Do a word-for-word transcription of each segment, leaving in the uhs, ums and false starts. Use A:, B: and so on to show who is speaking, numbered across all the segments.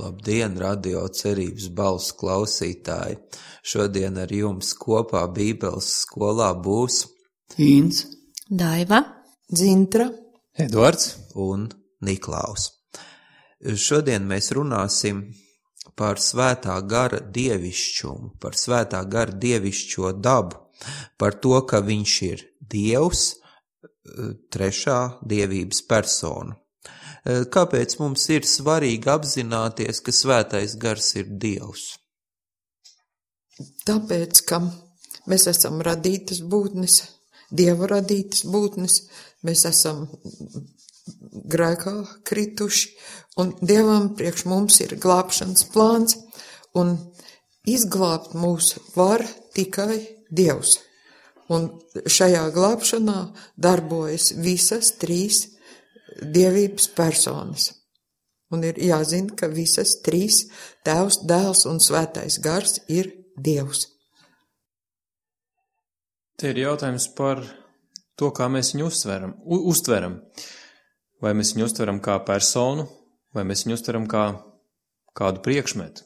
A: Labdien, radio cerības balss klausītāji! Šodien ar jums kopā Bībeles skolā būs
B: Ints,
C: Daiva,
D: Dzintra,
B: Edvards
A: un Niklaus. Šodien mēs runāsim par svētā gara dievišķumu, par svētā gara dievišķo dabu, par to, ka viņš ir Dievs, trešā dievības persona. Kāpēc mums ir svarīgi apzināties, ka svētais gars ir Dievs?
D: tāpēc, ka mēs esam radītas būtnes, Dieva radītas būtnes, mēs esam grēkā krituši, un Dievam priekš mums ir glābšanas plāns, un izglābt mūs var tikai Dievs. Un šajā glābšanā darbojas visas trīs dievības personas. Un ir jāzina, ka visas trīs Tēvs, Dēls un Svētais gars ir Dievs.
B: Te ir jautājums par to, kā mēs viņu uztveram. U, uztveram. Vai mēs viņu uztveram kā personu, vai mēs viņu uztveram kā kādu priekšmetu.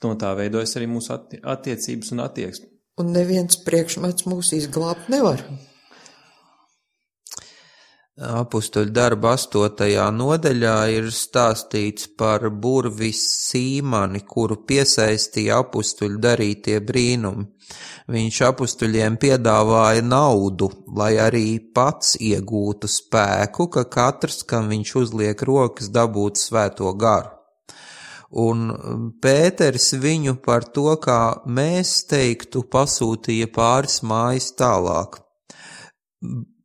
B: No tā veidojas arī mūsu atti- attiecības un attieksme.
D: Un neviens priekšmets mūs izglābt nevar.
A: Apustuļu darba astotajā nodaļā ir stāstīts par burvis Sīmani, kuru piesaistīja apustuļu darītie brīnumi. Viņš apustuļiem piedāvāja naudu, lai arī pats iegūtu spēku, ka katrs, kam viņš uzliek rokas, dabūtu svēto garu. Un Pēteris viņu par to, kā mēs teiktu, pasūtīja pāris mājas tālāk.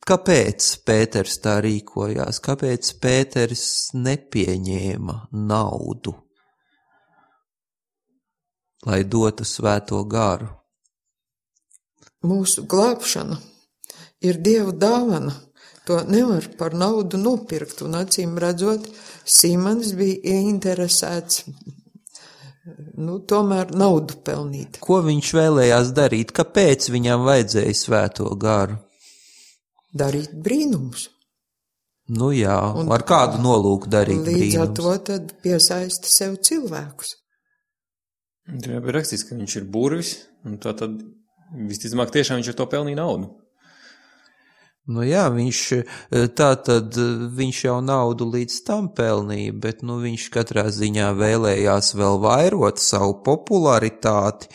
A: Kāpēc Pēters tā rīkojās? Kāpēc Pēteris nepieņēma naudu, lai dotu svēto garu?
D: Mūsu glābšana ir Dieva dāvana. To nevar par naudu nopirkt, un acīm redzot, Simons bija ieinteresēts, nu, tomēr naudu pelnīt.
A: Ko viņš vēlējās darīt? Kāpēc viņam vajadzēja svēto garu?
D: Darīt brīnumus.
A: Nu jā,
D: Un
A: ar kādu nolūku darīt
D: Līdz ar
A: brīnums?
D: to tad piesaista sev cilvēkus.
B: Tur jau bija rakstīts, ka viņš ir burvis, un tā tad visticamāk tiešām viņš ar to pelnīja naudu.
A: Nu jā, viņš, tā tad viņš jau naudu līdz tam pelnīja, bet nu viņš katrā ziņā vēlējās vēl vairot savu popularitāti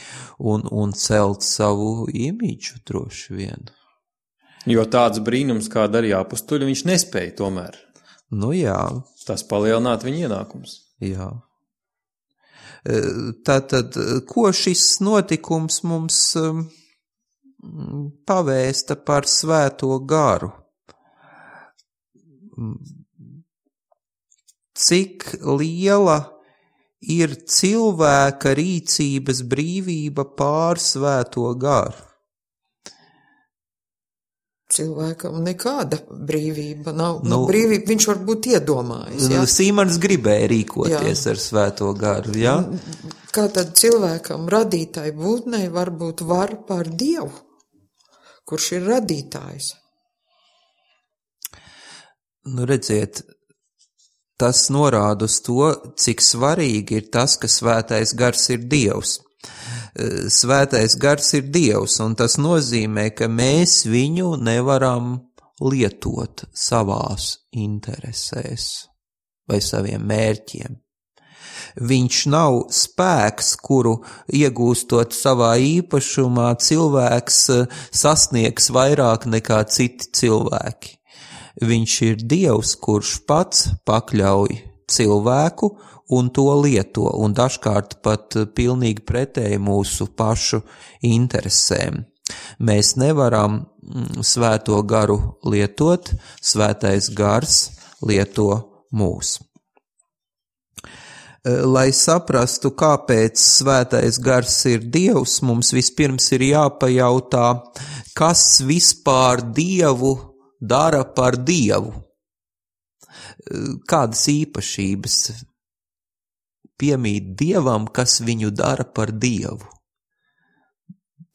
A: un, un celt savu imidžu droši vien.
B: Jo tāds brīnums, kā darīja apustuļi, viņš nespēja tomēr.
A: Nu jā,
B: Tas palielināt viņa ienākums.
A: jā. Tātad, ko šis notikums mums um, pavēsta par svēto garu? Cik liela ir cilvēka rīcības brīvība pār svēto garu?
D: Cilvēkam nekāda brīvība nav. Nu,
A: Nu,
D: brīvība viņš varbūt iedomājas. Ja?
A: Sīmans gribēja rīkoties
D: Jā.
A: ar svēto garu, jā?
D: Kā tad cilvēkam radītāji būtnei varbūt var pār Dievu, kurš ir radītājs?
A: Nu, redziet, tas norāda uz to, cik svarīgi ir tas, ka svētais gars ir Dievs. Svētais gars ir Dievs, un tas nozīmē, ka mēs viņu nevaram lietot savās interesēs vai saviem mērķiem. Viņš nav spēks, kuru iegūstot savā īpašumā cilvēks sasniegs vairāk nekā citi cilvēki. Viņš ir Dievs, kurš pats pakļauj cilvēku un to lieto, un dažkārt pat pilnīgi pretēji mūsu pašu interesēm. Mēs nevaram svēto garu lietot, svētais gars lieto mūs. Lai saprastu, kāpēc svētais gars ir Dievs, mums vispirms ir jāpajautā, kas vispār Dievu dara par Dievu. Kādas īpašības piemīt Dievam, kas viņu dara par Dievu?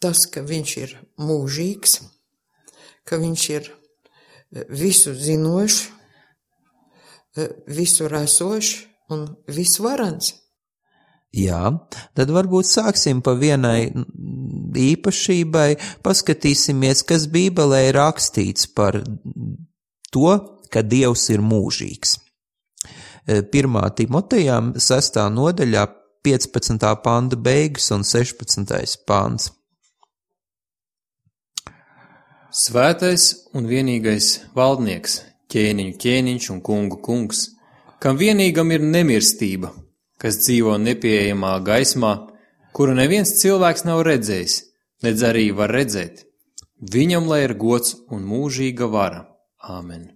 D: Tas, ka viņš ir mūžīgs, ka viņš ir visu zinošs, visu esošs un visvarans.
A: Jā, tad varbūt sāksim pa vienai īpašībai, paskatīsimies, kas Bībelē ir rakstīts par to, ka Dievs ir mūžīgs. Pirmā Timotejam sestā nodaļā piecpadsmitā panta beigas un sešpadsmitais pants.
B: Svētais un vienīgais valdnieks, ķēniņu ķēniņš un kungu kungs, kam vienīgam ir nemirstība, kas dzīvo nepieejamā gaismā, kuru neviens cilvēks nav redzējis, nedz arī var redzēt. Viņam lai ir gods un mūžīga vara. Āmen.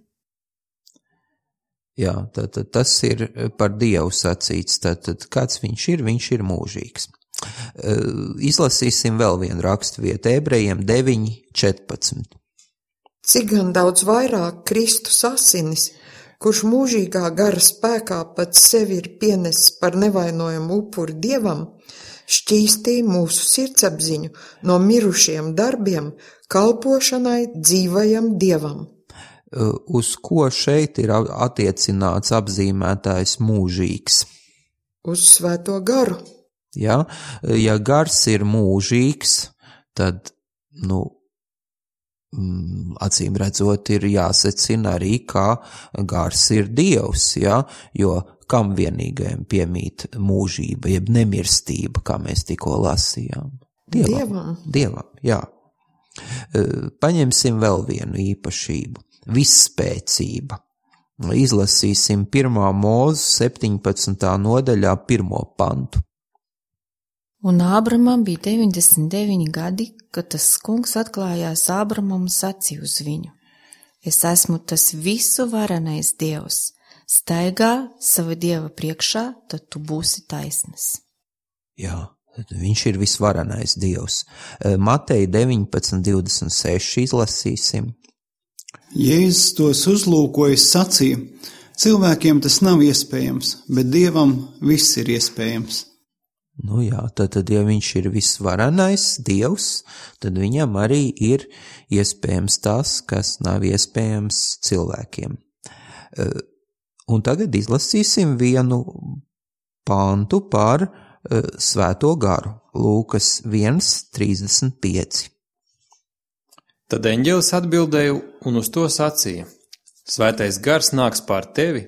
A: Jā, tad, tad tas ir par Dievu sacīts, tad, tad kāds viņš ir, viņš ir mūžīgs. Izlasīsim vēl vienu raksturvietu, Ebrejiem deviņi četrpadsmit.
D: Cik gan daudz vairāk Kristus asinis, kurš mūžīgā gara spēkā pats sevi ir pienesis par nevainojumu upuri Dievam, šķīstīja mūsu sirdsapziņu no mirušiem darbiem kalpošanai dzīvajam Dievam.
A: Uz ko šeit ir attiecināts apzīmētājs mūžīgs?
D: Uz svēto garu.
A: Ja, ja gars ir mūžīgs, tad, nu, acīm redzot, ir jāsecina arī, kā gars ir Dievs, ja, jo kam vienīgajam piemīt mūžība, jeb nemirstība, kā mēs tikko lasījām? Dievam.
D: Dievam.
A: Dievam, jā. Paņemsim vēl vienu īpašību. Visspēcība. Izlasīsim pirmā Mūzu septiņpadsmitā nodaļā pirmo pantu.
C: Un Ābramam bija deviņdesmit deviņi gadi, kad tas kungs atklājās Ābramam un sacīja uz viņu: Es esmu tas visu varenais Dievs, staigā sava Dieva priekšā, tad tu būsi taisns.
A: Jā, viņš ir visvarenais Dievs. Mateja deviņpadsmit divdesmit seši izlasīsim.
E: Jēzus tos uzlūkojis sacīja: cilvēkiem tas nav iespējams, bet Dievam viss ir iespējams.
A: Nu jā, tad, tad ja viņš ir visvarenais Dievs, tad viņam arī ir iespējams tas, kas nav iespējams cilvēkiem. Un tagad izlasīsim vienu pantu par svēto garu. Lūkas viens trīsdesmit pieci.
B: Tad eņģelis atbildēja un uz to sacīja: Svētais gars nāks pār tevi,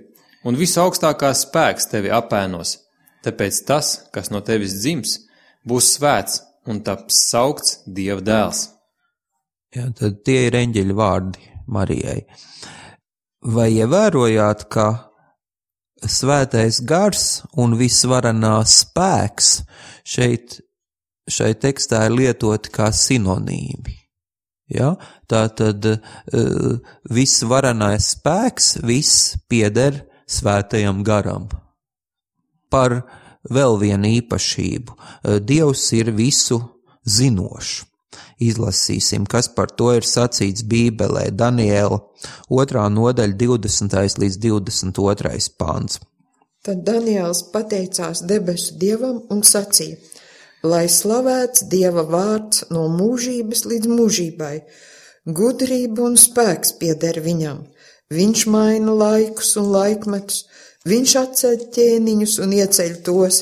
B: un visu augstākās spēks tevi apēnos, tāpēc tas, kas no tevis dzims, būs svēts un taps saukts Dieva dēls.
A: Jā, tad tie ir eņģeļa vārdi Marijai. Vai ievērojāt, ka svētais gars un visvarenā spēks šeit, šai tekstā ir lietoti kā sinonīmi? Ja? Tātad uh, viss varenais spēks, viss pieder svētajam garam. Par vēl vienu īpašību. Uh, Dievs ir visu zinošs. Izlasīsim, kas par to ir sacīts Bībelē. Daniela otrā nodaļa divdesmitais līdz divdesmit otrais pāns.
D: Tad Daniels pateicās debesu Dievam un sacīja: Lai slavēts Dieva vārds no mūžības līdz mūžībai, gudrība un spēks pieder viņam. Viņš maina laikus un laikmetus, viņš atceļ ķēniņus un ieceļ tos,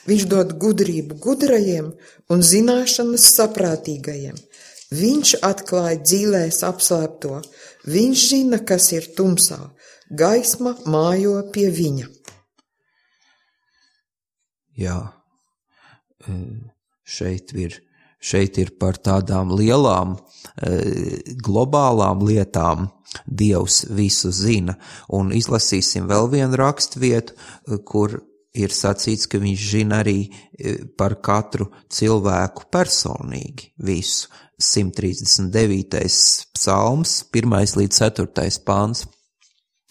D: viņš dod gudrību gudrajiem un zināšanas saprātīgajiem. Viņš atklāja dzīlēs apslēpto, viņš zina, kas ir tumsā, gaisma mājo pie viņa.
A: Jā. Šeit ir, šeit ir par tādām lielām globālām lietām Dievs visu zina, un izlasīsim vēl vienu rakstvietu, kur ir sacīts, ka viņš zina arī par katru cilvēku personīgi visu. simt trīsdesmit devītais psalms, pirmais līdz ceturtais pāns.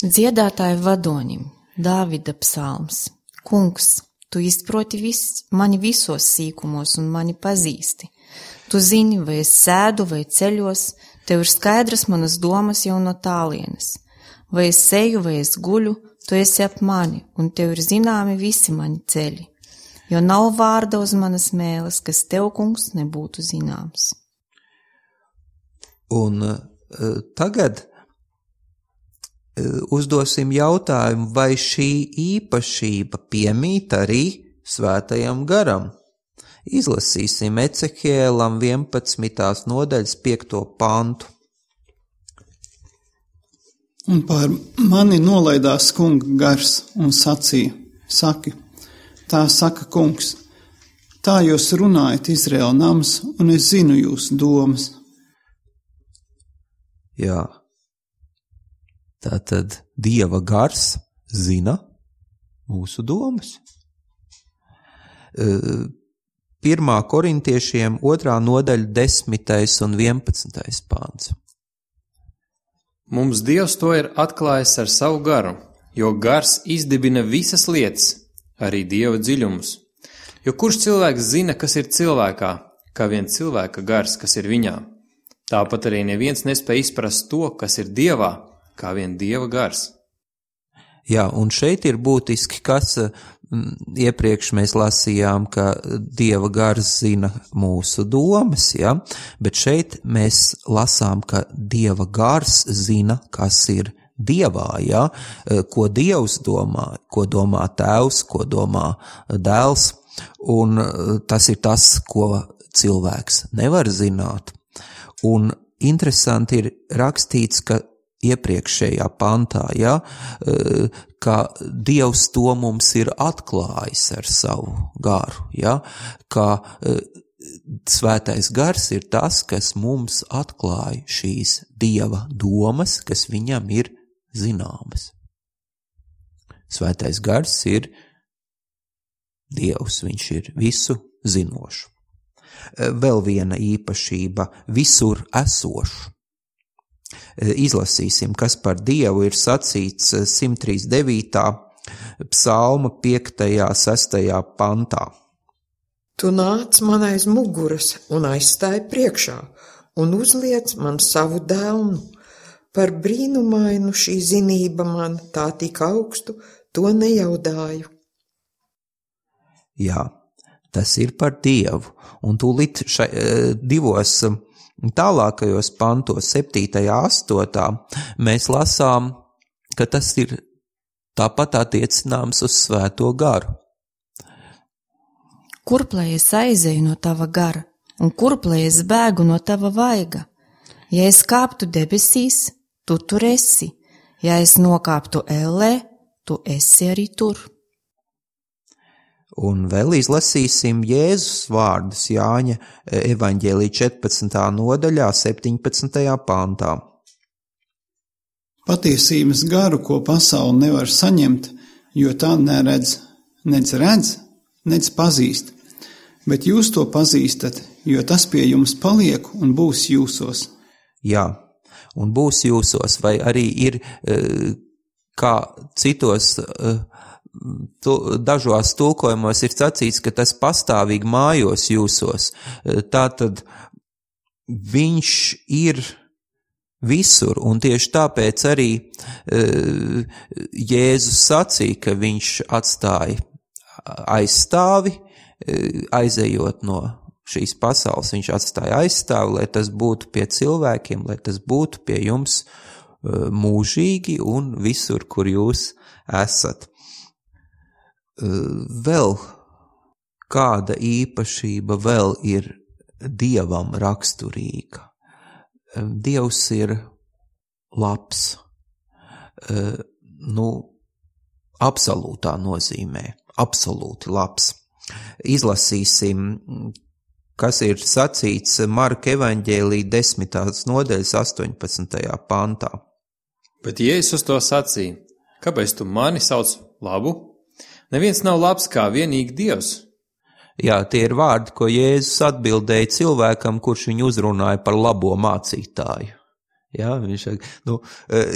C: Dziedātāju vadonim, Dāvida psalms. Kungs, tu izproti vis, mani visos sīkumos un mani pazīsti. Tu zini, vai es sēdu vai ceļos, tev ir skaidras manas domas jau no tālienes. Vai es seju vai es guļu, tu esi ap mani, un tev ir zināmi visi mani ceļi. Jo nav vārda uz manas mēles, kas tev, kungs, nebūtu zināms.
A: Un uh, tagad uzdosim jautājumu, vai šī īpašība piemīt arī Svētajam garam. Izlasīsim Ecehielam vienpadsmitās nodaļas piekto pantu.
E: Un pār mani nolaidās kunga gars un sacīja, saki, tā saka kungs, tā jūs runājat Izraēla nams, un es zinu jūsu domas.
A: Jā, tātad Dieva gars zina mūsu domas. Pirmā korintiešiem otrā nodaļa desmitais un vienpadsmitais pāns.
B: Mums Dievs to ir atklājis ar savu garu, jo gars izdibina visas lietas, arī Dieva dziļumus. Jo kurš cilvēks zina, kas ir cilvēkā, kā vien cilvēka gars, kas ir viņā? Tāpat arī neviens nespēj izprast to, kas ir Dievā, kā vien Dieva gars.
A: Jā, un šeit ir būtiski, kas iepriekš mēs lasījām, ka Dieva gars zina mūsu domas, ja? Bet šeit mēs lasām, ka Dieva gars zina, kas ir Dievā, ja? Ko Dievs domā, ko domā Tēvs, ko domā Dēls, un tas ir tas, ko cilvēks nevar zināt. Un interesanti ir rakstīts, ka iepriekšējā pantā, ja, ka Dievs to mums ir atklājis ar savu garu, ja, ka Svētais gars ir tas, kas mums atklāja šīs Dieva domas, kas viņam ir zināmas. Svētais gars ir Dievs, viņš ir visu zinošs. Vēl viena īpašība – visur esošs. Izlasīsim, kas par Dievu ir sacīts simt trīsdesmit devītā psalma piektajā sestajā pantā.
D: Tu nāc man aiz muguras un aizstāji priekšā un uzliec man savu dēlnu. Par brīnumainu šī zinība man tā tik augstu, to nejaudāju.
A: Jā, tas ir par Dievu, un tūlīt šai, divos tālākajos pantos, septītajā, astotā, mēs lasām, ka tas ir tāpat attiecināms uz Svēto garu.
C: Kurp lai es aizēju no tava gara, un kurp lai es bēgu no tava vaiga? Ja es kāptu debesīs, tu tur esi, ja es nokāptu ellē, tu esi arī tur.
A: Un vēl izlasīsim Jēzus vārdus Jāņa evaņģēlija četrpadsmitā nodaļā, septiņpadsmitajā pantā.
E: Patiesības garu, ko pasaule nevar saņemt, jo tā neredz, nec redz, nec pazīst, bet jūs to pazīstat, jo tas pie jums paliek un būs jūsos.
A: Jā, un būs jūsos, vai arī ir kā citos Tu, dažos tulkojumos ir sacīts, ka tas pastāvīgi mājos jūsos. Tātad viņš ir visur, un tieši tāpēc arī Jēzus sacīja, ka viņš atstāja aizstāvi, aizejot no šīs pasaules, viņš atstāja aizstāvi, lai tas būtu pie cilvēkiem, lai tas būtu pie jums mūžīgi un visur, kur jūs esat. Vēl kāda īpašība vēl ir Dievam raksturīga. Dievs ir labs, nu, absolūtā nozīmē, absolūti labs. Izlasīsim, kas ir sacīts Marka evaņģēlija desmitās nodaļas astoņpadsmitajā pantā.
B: Bet Jēzus to sacīja, kāpēc tu mani sauc labu? Neviens nav labs kā vienīgi Dievs.
A: Jā, tie ir vārdi, ko Jēzus atbildēja cilvēkam, kurš viņu uzrunāja par labo mācītāju. Jā, viņš saka, nu,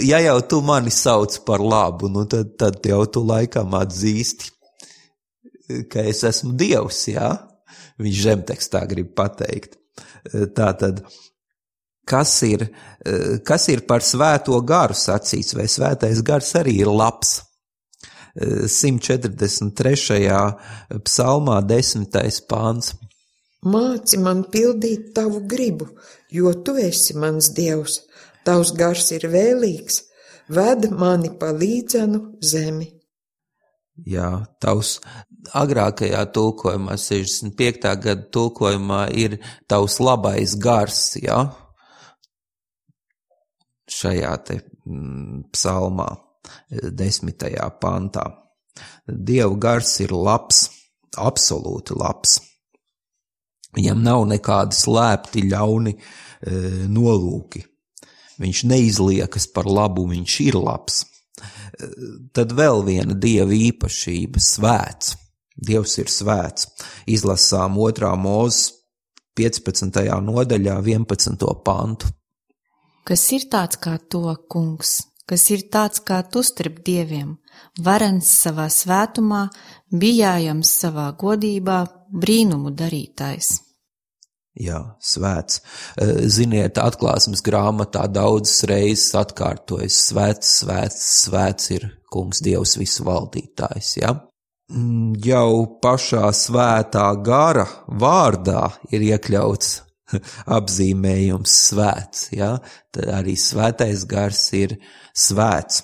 A: ja jau tu mani sauc par labu, nu tad, tad jau tu laikam atzīsti, ka es esmu Dievs, jā? Viņš žemtekstā grib pateikt. Tātad, kas ir, kas ir par svēto garu sacīts, vai svētais gars arī ir labs? simt četrdesmit trešajā psalmā desmitais pāns.
D: Māci man pildīt tavu gribu, jo tu esi mans Dievs. Tavs gars ir vēlīgs, ved mani pa līdzenu zemi.
A: Jā, tavs agrākajā tulkojumā, sešdesmit piektā gada tulkojumā ir tavs labais gars, jā, šajā te mm, psalmā, desmitajā pantā. Dieva gars ir labs, absolūti labs. Viņam nav nekādi slēpti ļauni e, nolūki. Viņš neizliekas par labu, viņš ir labs. E, tad vēl viena Dieva īpašība – svēts. Dievs ir svēts. Izlasām otrā Mūzes piecpadsmitajā nodaļā vienpadsmito pantu.
C: Kas ir tāds kā to, kungs, kas ir tāds kā tu starp dieviem, varens savā svētumā, bijājams savā godībā, brīnumu darītājs.
A: Jā, svēts. Ziniet, atklāsmes grāmatā daudzas reizes atkārtojas svēts, svēts, svēts ir kungs Dievs visu valdītājs, ja? Jau pašā svētā gara vārdā ir iekļauts apzīmējums svēts, ja? Tad arī svētais gars ir svēts.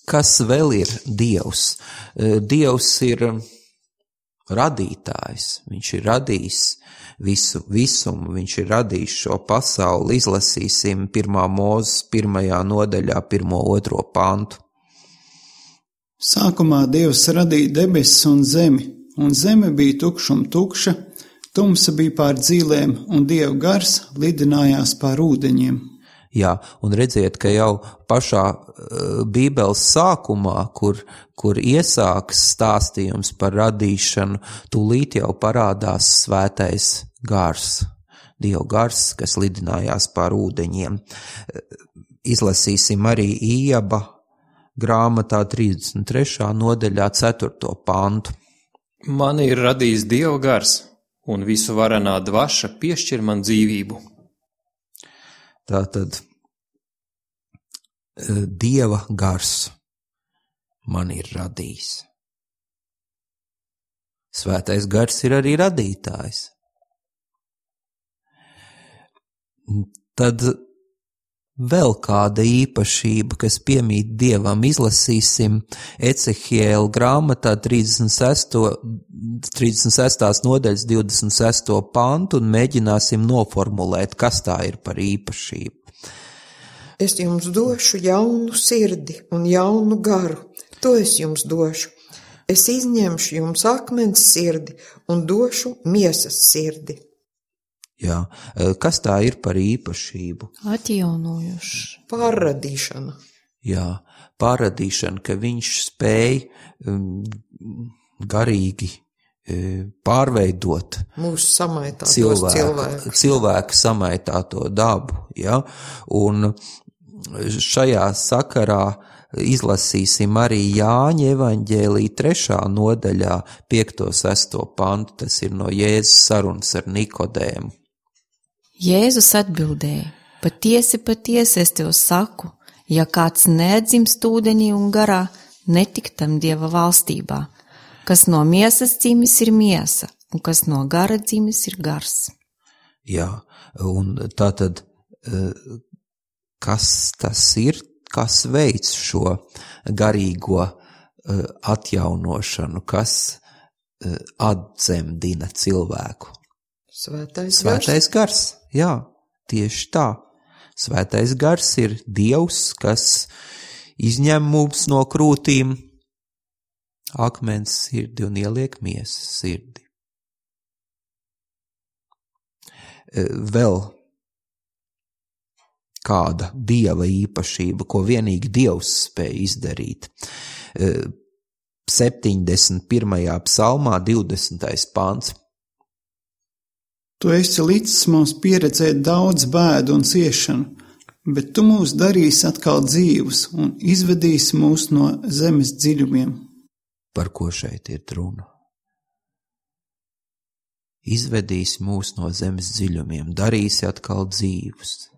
A: Kas vēl ir Dievs? Dievs ir radītājs, viņš ir radījis visu visumu, viņš ir radījis šo pasauli. Izlasīsim pirmā Mūzes pirmajā nodaļā, pirmo otro pantu.
E: Sākumā Dievs radīja debesis un zemi, un zeme bija tukšuma tukša, tumsa bija pār dzīlēm, un Dieva gars lidinājās pār ūdeņiem.
A: Jā, un redziet, ka jau pašā uh, Bībeles sākumā, kur, kur iesākas stāstījums par radīšanu, tūlīt jau parādās svētais gars, Dieva gars, kas lidinājās pār ūdeņiem. Izlasīsim arī Ījaba grāmatā trīsdesmit trešā nodaļā ceturto pantu.
B: Mani ir radījis Dieva gars, un visu varenā dvaša piešķir man dzīvību.
A: Tātad Dieva gars man ir radījis. Svētais gars ir arī radītājs. Tad vēl kāda īpašība, kas piemīt Dievam, izlasīsim Ecehiela grāmatā trīsdesmit sestās nodaļas divdesmit sesto pantu un mēģināsim noformulēt, kas tā ir par īpašību.
D: Es jums došu jaunu sirdi un jaunu garu, to es jums došu. Es izņemšu jums akmens sirdi un došu miesas sirdi.
A: Jā, kas tā ir par īpašību?
C: Atjaunojuši.
D: Pārradīšana.
A: Jā, pārradīšana, ka viņš spēj um, garīgi um, pārveidot
D: mūsu samaitātos
A: cilvēku,
D: cilvēku.
A: cilvēku samaitāto dabu, ja? Un šajā sakarā izlasīsim arī Jāņa evaņģēlija trešā nodaļā piekto sesto pantu, tas ir no Jēzus sarunas ar Nikodēmu.
C: Jēzus atbildēja, patiesi, patiesi es tev saku, ja kāds neatdzimst ūdenī un garā, netiktam Dieva valstībā. Kas no miesas dzimis ir miesa, un kas no gara dzimis ir gars.
A: Jā, un tātad, kas tas ir, kas veic šo garīgo atjaunošanu, kas atdzemdina cilvēku?
D: Svētais,
A: Svētais gars. Jā, tieši tā. Svētais gars ir Dievs, kas izņem mums no krūtīm akmens sirdi un ieliek miesas sirdi. Vēl kāda Dieva īpašība, ko vienīgi Dievs spēj izdarīt. septiņdesmit pirmajā psalmā divdesmitais pants.
E: Tu esi licis mums pieredzēt daudz bēdu un ciešanu, bet tu mūs darīsi atkal dzīvus un izvedīsi mūs no zemes dziļumiem.
A: Par ko šeit ir runa? Izvedīsi mūs no zemes dziļumiem, darīsi atkal dzīvus.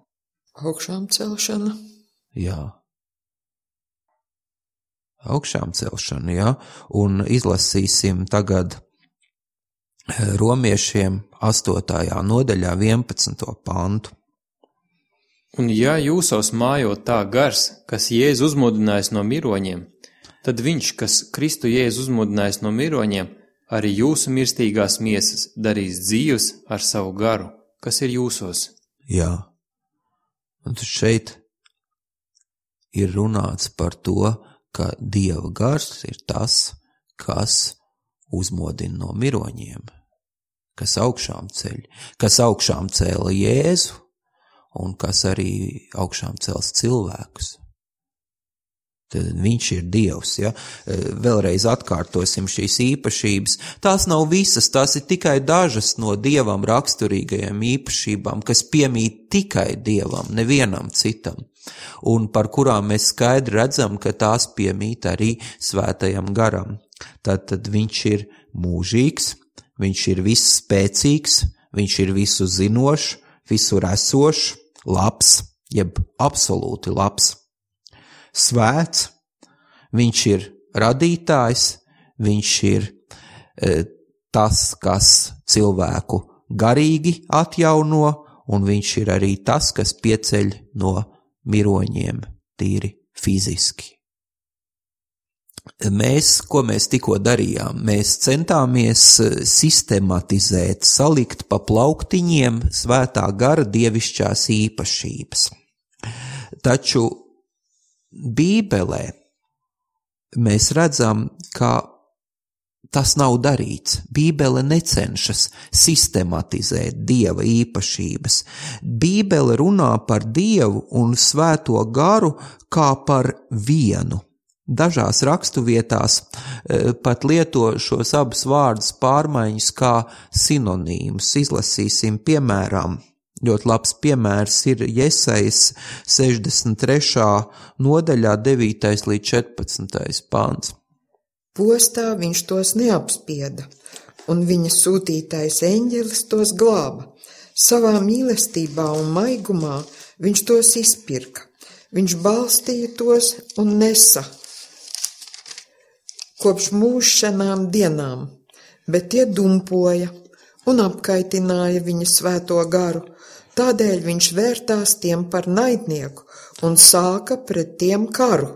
D: Augšām celšana.
A: Jā. Augšām celšana, jā. Un izlasīsim tagad Romiešiem astotajā nodaļā vienpadsmito pantu.
B: Un ja jūsos mājo tā gars, kas Jēzu uzmodinājis no miroņiem, tad viņš, kas Kristu Jēzu uzmodinājis no miroņiem, arī jūsu mirstīgās miesas darīs dzīvus ar savu garu, kas ir jūsos.
A: Jā, un šeit ir runāts par to, ka Dieva gars ir tas, kas uzmodina no miroņiem, kas augšām ceļ, kas augšām cēla Jēzu, un kas arī augšām cels cilvēkus. Tad viņš ir Dievs, ja? Vēlreiz atkārtosim šīs īpašības. Tās nav visas, tās ir tikai dažas no Dievam raksturīgajām īpašībām, kas piemīt tikai Dievam, nevienam citam, un par kurām mēs skaidri redzam, ka tās piemīt arī svētajam garam. Tātad viņš ir mūžīgs, viņš ir viss spēcīgs, viņš ir visu zinošs, visur esošs, labs, jeb absolūti labs, svēts, viņš ir radītājs, viņš ir e, tas, kas cilvēku garīgi atjauno, un viņš ir arī tas, kas pieceļ no miroņiem tīri fiziski. Mēs, ko mēs tikko darījām, mēs centāmies sistematizēt, salikt pa plauktiņiem svētā gara dievišķās īpašības. Taču Bībelē mēs redzam, ka tas nav darīts. Bībele necenšas sistematizēt Dieva īpašības. Bībele runā par Dievu un svēto garu kā par vienu. Dažās rakstuvietās pat lieto šos abus vārdus pārmaiņas kā sinonīmus. Izlasīsim piemēram. Ļoti labs piemērs ir Jesajas sešdesmit trešā nodaļā devītais līdz četrpadsmitais pāns.
D: Postā viņš tos neapspieda, un viņa sūtītais eņģelis tos glāba. Savā mīlestībā un maigumā viņš tos izpirka. Viņš balstīja tos un nesa kopš mūžšanām dienām, bet tie dumpoja un apkaitināja viņa svēto garu. Tādēļ viņš vērtās tiem par naidnieku un sāka pret tiem karu.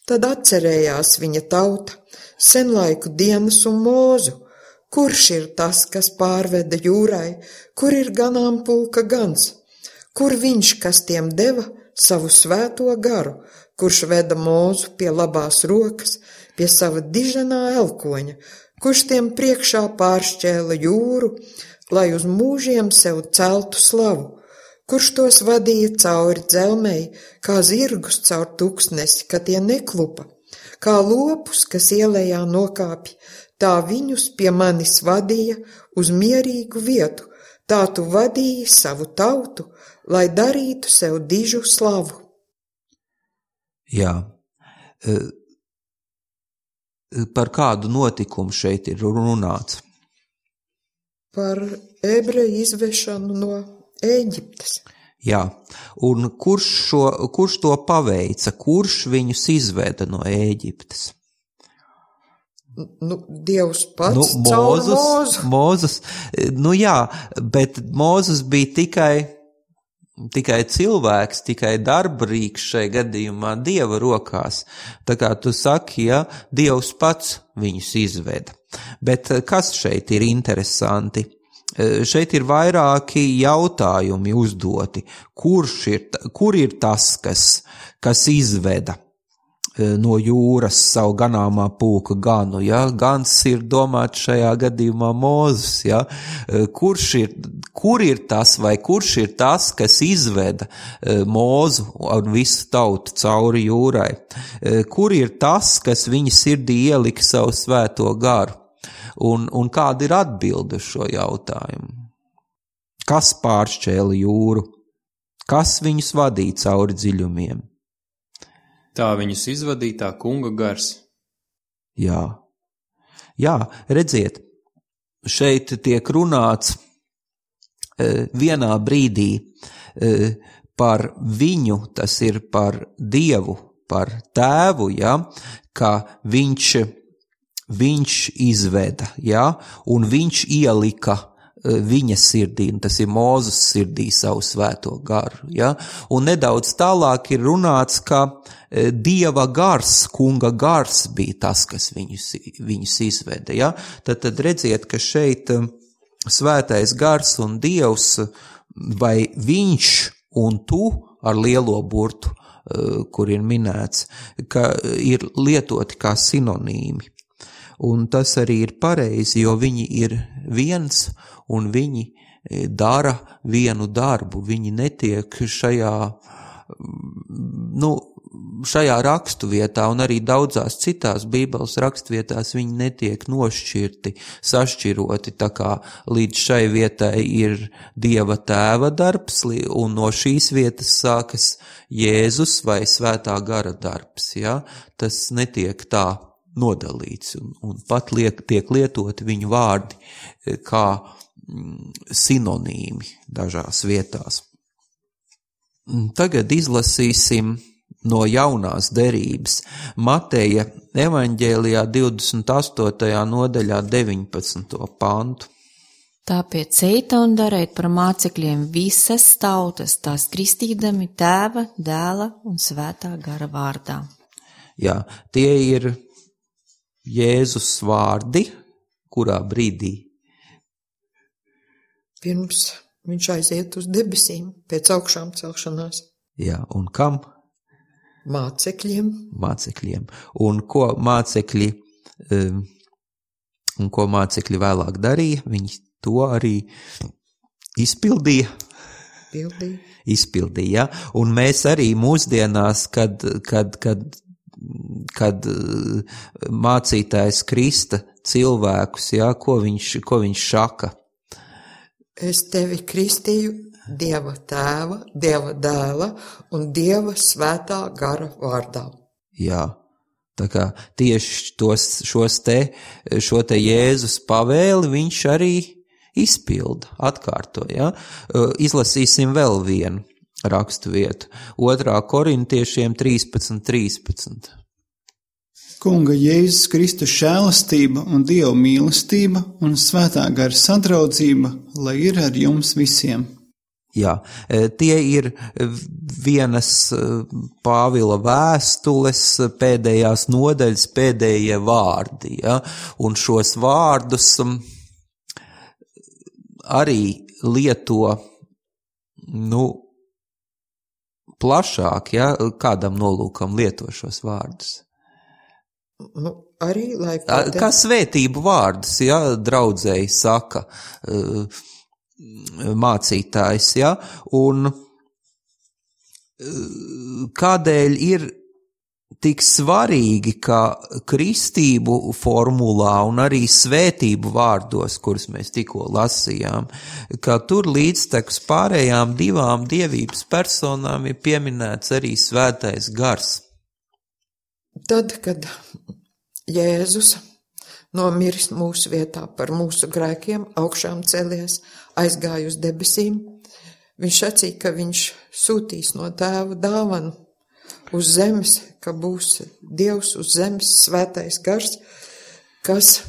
D: Tad atcerējās viņa tauta, senlaiku dienas un mūzu. Kurš ir tas, kas pārveda jūrai, kur ir ganāmpulka gans? Kur viņš, kas tiem deva savu svēto garu, kurš veda mūzu pie labās rokas, pie sava diženā elkoņa, kurš tiem priekšā pāršķēla jūru, lai uz mūžiem sev celtu slavu, kurš tos vadīja cauri dzelmei, kā zirgus caur tuksnesi, ka tie neklupa, kā lopus, kas ielējā nokāpj, tā viņus pie manis vadīja uz mierīgu vietu, tā tu vadīji savu tautu, lai darītu sev dižu slavu.
A: Jā, par kādu notikumu šeit ir runāts?
D: Par ebreju izvešanu no Ēģiptes.
A: Jā, un kurš, šo, kurš to paveica, kurš viņus izveda no Ēģiptes?
D: Nu, Dievs pats
A: nu,
D: caur
A: Mūzus,
D: Mūzu.
A: Mūzus, nu jā, bet Mūzus bija tikai, tikai cilvēks, tikai darbrīks šai gadījumā Dieva rokās. Tā kā tu saki, ja, Dievs pats viņus izveda. Bet kas šeit ir interesanti? Šeit ir vairāki jautājumi uzdoti. Kurš ir, kur ir tas, kas, kas izveda no jūras savu ganāmā pulka ganu? Ja? Gans ir domāts šajā gadījumā Mūzes. Ja? Kurš ir, kur ir tas vai kurš ir tas, kas izveda Mūzu un visu tautu cauri jūrai? Kur ir tas, kas viņa sirdī ielika savu svēto garu? Un, un kāda ir atbilde uz šo jautājumu? Kas pāršķēla jūru? Kas viņus vadīja cauri dziļumiem?
B: Tā viņus izvadītā kunga gars.
A: Jā, jā, redziet, šeit tiek runāts e, vienā brīdī e, par viņu, tas ir par Dievu, par tēvu, ja, ka viņš Viņš izveda, ja, un viņš ielika viņa sirdī, un tas ir Mūzes sirdī savu svēto garu. Ja? Un nedaudz tālāk ir runāts, ka Dieva gars, kunga gars bija tas, kas viņus, viņus izveda. Ja? Tad, tad redziet, ka šeit svētais gars un Dievs, vai viņš un tu ar lielo burtu, kur ir minēts, ka ir lietoti kā sinonīmi. Un tas arī ir pareizi, jo viņi ir viens un viņi dara vienu darbu. Viņi netiek šajā, nu, šajā rakstuvietā un arī daudzās citās Bībeles rakstvietās viņi netiek nošķirti, sašķiroti, tā kā līdz šai vietai ir Dieva tēva darbs un no šīs vietas sākas Jēzus vai svētā gara darbs. Ja? Tas netiek tā nodalīts un, un pat liek, tiek lietoti viņu vārdi kā sinonīmi dažās vietās. Tagad izlasīsim no jaunās derības Mateja evaņģēlijā divdesmit astotajā nodaļā deviņpadsmito pantu.
C: Tāpēc eita un dariet par mācekļiem visas tautas, tās kristīdami Tēva, Dēla un Svētā gara vārdā.
A: Jā, tie ir Jēzus vārdi, kurā brīdī?
D: Pirms viņš aiziet uz debesīm pēc augšām celšanās.
A: Jā, un kam?
D: Mācekļiem.
A: Mācekļiem. Un ko mācekļi, um, un ko mācekļi vēlāk darīja? Viņi to arī izpildīja.
D: Pildīja.
A: Izpildīja, ja? Un mēs arī mūsdienās, kad, kad, kad, kad mācītājs krista cilvēkus, ja? ko, viņš, ko viņš saka?
D: Es tevi kristīju Dieva tēva, Dieva dēla un Dieva svētā gara vārdā.
A: Jā, tā kā tieši tos, šos te, šo te Jēzus pavēli viņš arī izpilda, atkārto. Ja? Izlasīsim vēl vienu rakstu vietu. Otrā Korintiešiem trīspadsmit trīspadsmit.
E: Kunga Jēzus Kristus žēlastība un Dieva mīlestība un svētā gara sadraudzība, lai ir ar jums visiem.
A: Jā, tie ir vienas Pāvila vēstules pēdējās nodaļas pēdējie vārdi, ja? Un šos vārdus arī lieto, nu, plašāk, ja? Kādam nolūkam lieto šos vārdus?
D: Nu, arī, lai...
A: Kā svētību vārdus, ja, draudzēji saka mācītājs, ja, un kādēļ ir tik svarīgi, ka kristību formulā un arī svētību vārdos, kurus mēs tikko lasījām, ka tur līdztekus pārējām divām dievības personām ir pieminēts arī svētais gars.
D: Tad, kad Jēzus nomiris mūsu vietā par mūsu grēkiem, augšām celies, aizgāja uz debesīm, viņš sacīja, ka viņš sūtīs no Tēva dāvanu uz zemes, ka būs Dievs uz zemes, svētais gars, kas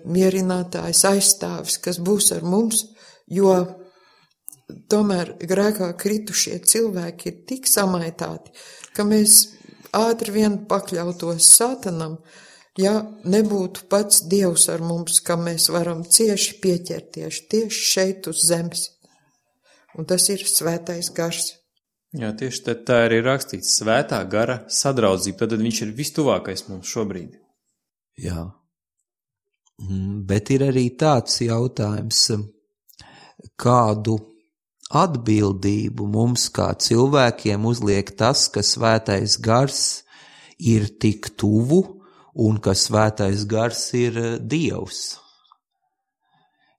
D: mierinātājs aizstāvis, kas būs ar mums, jo tomēr grēkā kritušie cilvēki ir tik samaitāti, ka mēs ātri vien pakļautos Sātanam, ja nebūtu pats Dievs ar mums, ka mēs varam cieši pieķerties tieši šeit uz zemes. Un tas ir svētais gars.
B: Jā, tieši tā, tā arī rakstīts, svētā gara sadraudzība, tad viņš ir vistuvākais mums šobrīd.
A: Jā, bet ir arī tāds jautājums, kādu atbildību mums kā cilvēkiem uzliek tas, ka svētais gars ir tik tuvu un ka svētais gars ir Dievs.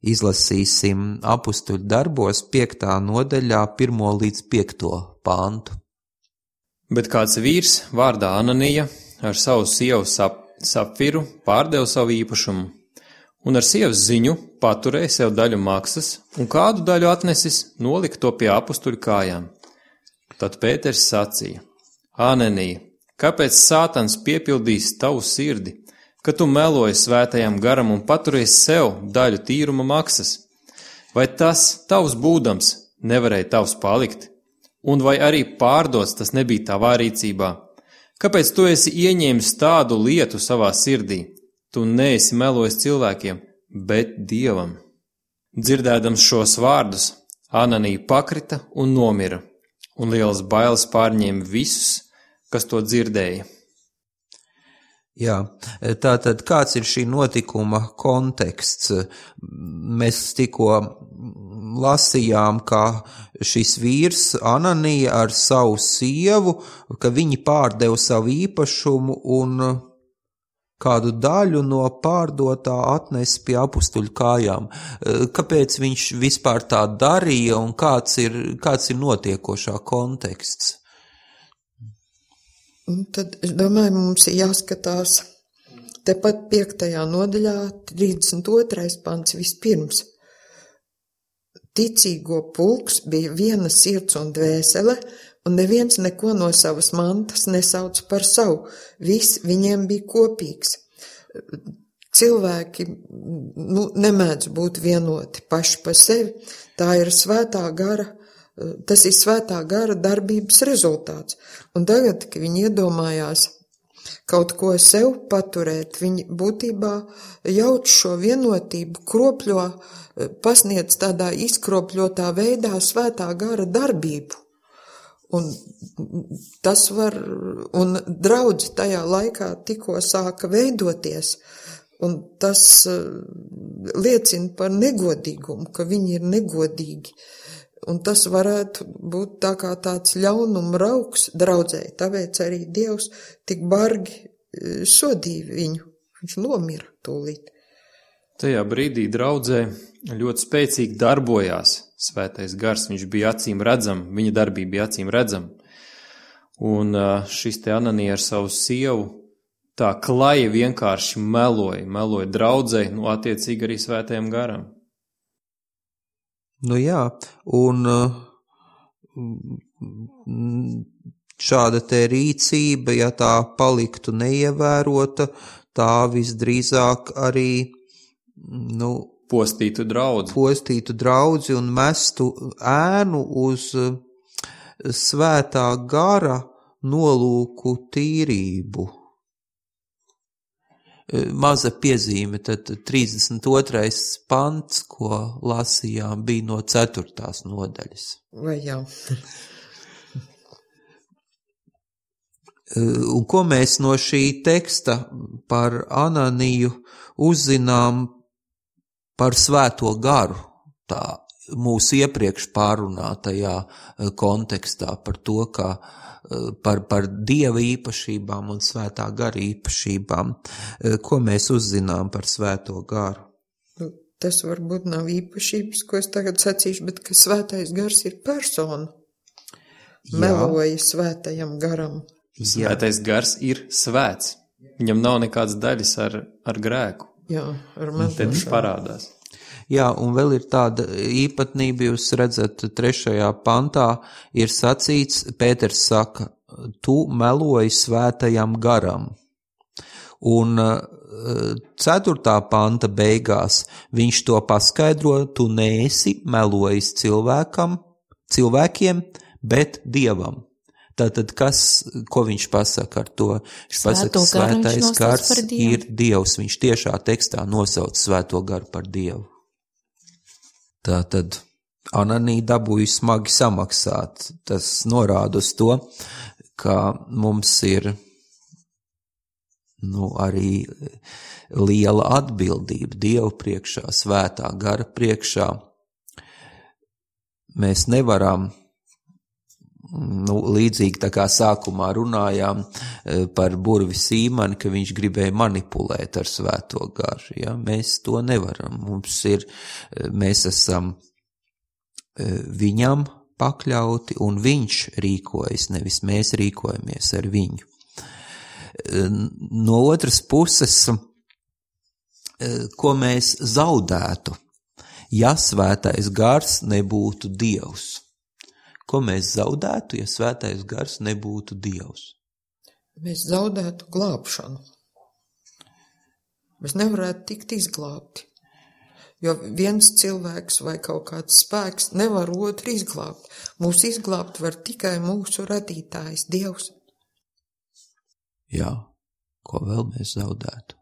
A: Izlasīsim apustuļu darbos piektā nodaļā pirmo līdz piekto pantu.
B: Bet kāds vīrs vārdā Ananija ar savu sievu sap, Sapfiru pārdeva savu īpašumu un ar sievas ziņu paturēja sev daļu maksas un kādu daļu atnesis nolika to pie apustuļu kājām. Tad Pēters sacīja: Ananija, kāpēc Sātans piepildīs tavu sirdi, ka tu meloji svētajam garam un paturies sev daļu tīruma maksas? Vai tas tavs būdams nevarēja tavs palikt? Un vai arī pārdots tas nebija tavā rīcībā? Kāpēc tu esi ieņēmis tādu lietu savā sirdī? Tu neesi melojis cilvēkiem, bet Dievam. Dzirdēdams šos vārdus, Ananija pakrita un nomira, un lielas bailes pārņēma visus, kas to dzirdēja.
A: Jā, tātad kāds ir šī notikuma konteksts? Mēs tikko lasījām, ka šis vīrs Ananija ar savu sievu, ka viņi pārdeva savu īpašumu un kādu daļu no pārdotā atnes pie apustuļu kājām. Kāpēc viņš vispār tā darīja un kāds ir, kāds ir notiekošā konteksts?
D: Un tad, es domāju, mums ir jāskatās tepat piektajā nodaļā, trīsdesmit otrais pants vispirms. Ticīgo pulks bija viena sirds un dvēsele, un neviens neko no savas mantas nesauc par savu. Viss viņiem bija kopīgs. Cilvēki nu, nemēdz būt vienoti paši par sevi. Tā ir svētā gara, tas ir svētā gara darbības rezultāts. Un tagad, kad viņi iedomājās kaut ko sev paturēt, viņi būtībā jauc šo vienotību, kropļo, pasniedz tādā izkropļotā veidā svētā gara darbību. Un tas var, un draudzi tajā laikā tikko sāka veidoties, un tas liecina par negodīgumu, ka viņi ir negodīgi. Un tas varētu būt tā kā tāds ļaunuma rauks draudzēji, tāpēc arī Dievs tik bargi sodīja viņu, viņš nomira tūlīt.
B: Tajā brīdī draudzē ļoti spēcīgi darbojās svētais gars, viņš bija acīm redzam, viņa darbība bija acīm redzam. Un šis te Ananija ar savu sievu tā klaji vienkārši meloja, meloja draudzei, nu attiecīgi arī svētajam garam.
A: Nu jā, un šāda te rīcība, ja tā paliktu neievērota, tā visdrīzāk arī, nu,
B: postītu draudzi.
A: Postītu draudzi un mestu ēnu uz svētā gara nolūku tīrību. Maza piezīme, tad trīsdesmit otrais pants, ko lasījām, bija no ceturtās nodaļas.
D: Vai jā?
A: Un ko mēs no šī teksta par Ananiju uzzinām par svēto garu, tā mūsu iepriekš pārunātajā kontekstā par to, ka par, par Dieva īpašībām un svētā gara īpašībām. Ko mēs uzzinām par svēto garu?
D: Tas varbūt nav īpašības, ko es tagad sacīšu, bet ka svētais gars ir persona. Meloja svētajam garam.
B: Svētais gars ir svēts. Viņam nav nekādas daļas ar, ar grēku.
D: Jā, ar melošanu.
B: Tad parādās.
A: Jā, un vēl ir tāda īpatnība, jūs redzat, trešajā pantā ir sacīts, Pēters saka, tu meloji svētajam garam. Un ceturtā panta beigās viņš to paskaidro, tu neesi melojis cilvēkam, cilvēkiem, bet Dievam. Tātad, kas, ko viņš pasaka ar to? Viņš pasaka, svētais gars ir Dievs. Viņš tiešā tekstā nosauc svēto garu par Dievu. Tātad, Ananija dabūja smagi samaksāt. Tas norāda uz to, ka mums ir, nu, arī liela atbildība Dievu priekšā, svētā gara priekšā. Mēs nevaram, nu, līdzīgi tā kā sākumā runājām par burvi Sīmani, ka viņš gribēja manipulēt ar svēto garu. Ja? Mēs to nevaram. Mums ir, mēs esam viņam pakļauti un viņš rīkojas, nevis mēs rīkojamies ar viņu. No otras puses, ko mēs zaudētu, ja svētais gars nebūtu Dievs? Ko mēs zaudētu, ja svētais gars nebūtu Dievs?
D: Mēs zaudētu glābšanu. Mēs nevarētu tikt izglābti. jo viens cilvēks vai kaut kāds spēks nevar otru izglābt. Mūs izglābt var tikai mūsu radītājs, Dievs.
A: Jā, ko vēl mēs zaudētu?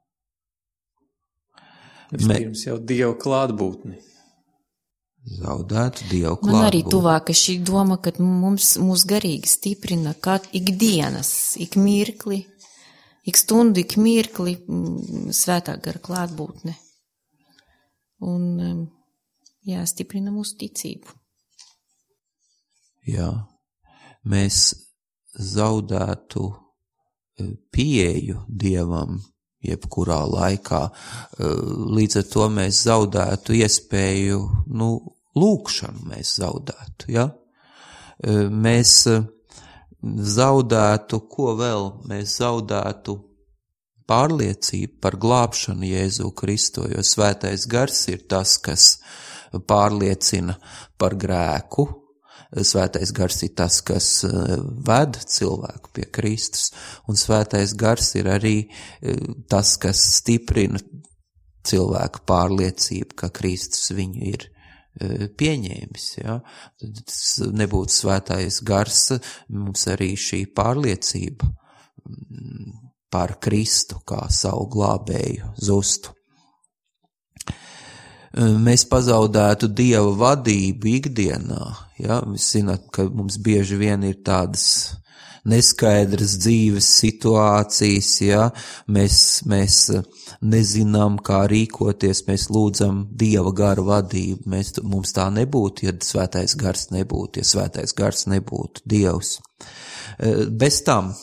B: Vispirms jau Dieva klātbūtni.
A: Zaudētu Dievu klātbūtni.
C: Man arī tuvāka šī doma, ka mums mūs garīgi stiprina kat ikdienas, ik mirkli, ik stundu, ik mirkli svētā gara klātbūtne. Un, jā, stiprina mūsu ticību.
A: Jā, mēs zaudētu pieeju Dievam jebkurā laikā. Līdz ar to mēs zaudētu iespēju, nu, lūkšanu mēs zaudētu, ja? Mēs zaudētu, ko vēl? Mēs zaudētu pārliecību par glābšanu Jēzu Kristu, jo svētais gars ir tas, kas pārliecina par grēku. Svētais gars ir tas, kas ved cilvēku pie Kristus, un svētais gars ir arī tas, kas stiprina cilvēku pārliecību, ka Kristus viņu ir pieņēmis. Ja? Tas nebūtu svētais gars, mums arī šī pārliecība par Kristu kā savu glābēju zustu. Mēs pazaudētu Dieva vadību ikdienā. Ja? Mēs zinām, ka mums bieži vien ir tādas neskaidras dzīves situācijas, ja? mēs, mēs nezinām, kā rīkoties, mēs lūdzam Dieva gara vadību. Mēs, mums tā nebūtu, ja svētais gars nebūtu, ja svētais gars nebūtu Dievs. Bez tam,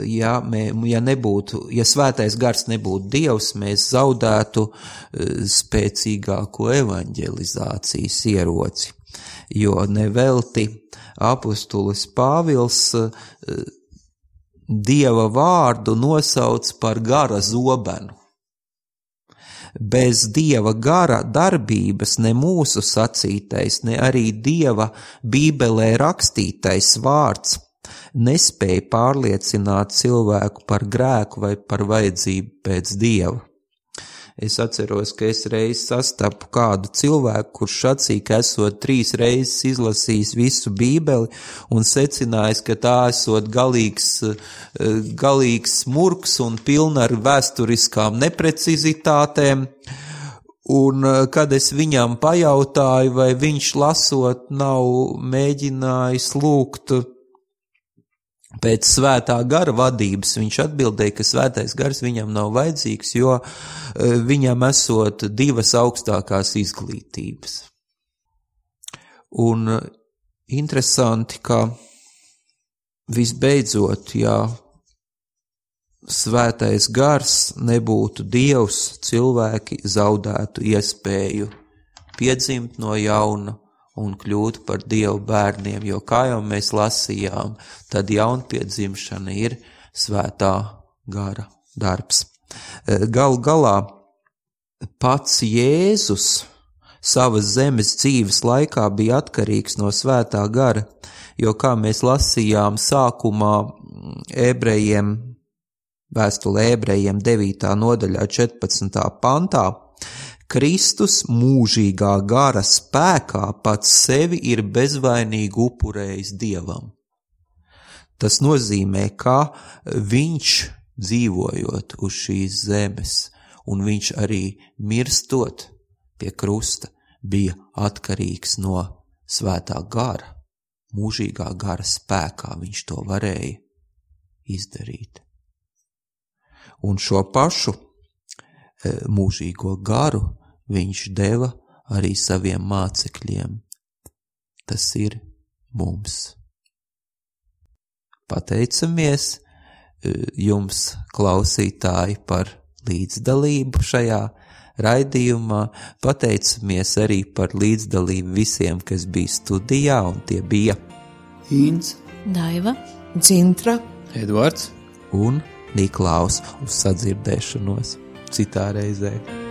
A: Ja, mē, ja nebūtu, ja svētais gars nebūtu Dievs, mēs zaudētu spēcīgāko evaņģelizācijas ieroci, jo nevelti apustulis Pāvils Dieva vārdu nosauc par gara zobenu. Bez Dieva gara darbības ne mūsu sacītais, ne arī Dieva Bībelē rakstītais vārds nespēja pārliecināt cilvēku par grēku vai par vajadzību pēc Dieva. Es atceros, ka es reiz sastapu kādu cilvēku, kurš sacīja, ka esot trīs reizes izlasījis visu Bībeli un secinājis, ka tā esot galīgs, galīgs murks un pilna ar vēsturiskām neprecizitātēm. Un kad es viņam pajautāju, vai viņš lasot nav mēģinājis lūgt pēc svētā gara vadības, viņš atbildēja, ka svētais gars viņam nav vajadzīgs, jo viņam esot divas augstākās izglītības. Un interesanti, ka visbeidzot, ja svētais gars nebūtu Dievs, cilvēki zaudētu iespēju piedzimt no jauna un kļūt par Dievu bērniem, jo kā jau mēs lasījām, tad jaunpiedzimšana ir svētā gara darbs. Gal galā pats Jēzus savas zemes dzīves laikā bija atkarīgs no svētā gara, jo kā mēs lasījām sākumā ebrejiem, vēstulē ebrejiem devītā nodaļā četrpadsmitā pantā, Kristus mūžīgā gara spēkā pats sevi ir bezvainīgi upurējis Dievam. Tas nozīmē, ka viņš dzīvojot uz šīs zemes, un viņš arī mirstot pie krusta, bija atkarīgs no svētā gara, mūžīgā gara spēkā viņš to varēja izdarīt. Un šo pašu mūžīgo garu viņš deva arī saviem mācekļiem. Tas ir mums. Pateicamies jums, klausītāji, par līdzdalību šajā raidījumā. Pateicamies arī par līdzdalību visiem, kas bija studijā, un tie bija
E: Ints,
C: Daiva,
D: Dzintra,
B: Eduards
A: un Niklaus. Uz sadzirdēšanos citā reizē.